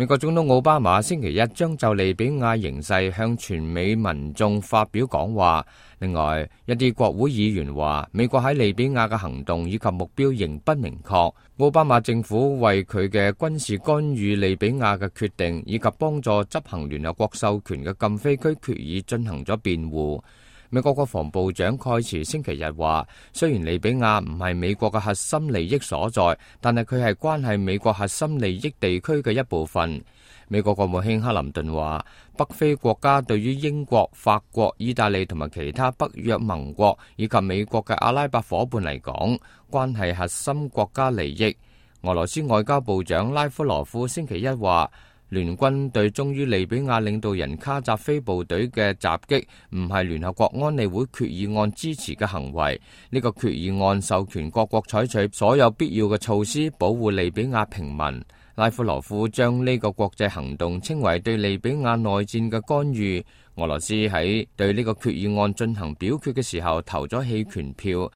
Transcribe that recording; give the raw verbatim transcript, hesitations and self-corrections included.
美國總統奧巴馬星期一將就利比亞形勢向全美民眾發表講話。另外，一啲國會議員話，美國喺利比亞嘅行動以及目標仍不明確。奧巴馬政府為佢嘅軍事干預利比亞嘅決定，以及幫助執行聯合國授權嘅禁飛區決議進行咗辯護。美國國防部長蓋茨星期日話，雖然利比亞唔係美國嘅核心利益所在，但係佢係關係美國核心利益地區嘅一部分。美國國務卿克林頓話，北非國家對於英國、法國、意大利同埋其他北約盟國以及美國嘅阿拉伯夥伴嚟講，關係核心國家利益。俄羅斯外交部長拉夫羅夫星期一話，聯軍對忠於利比亞領導人卡扎菲部隊嘅襲擊唔係聯合國安理會決議案支持嘅行為。呢個決議案授權各國採取所有必要嘅措施保護利比亞平民。拉夫羅夫將呢個國際行動稱為對利比亞內戰嘅干預。俄羅斯喺對呢個決議案進行表決嘅時候投咗棄權票。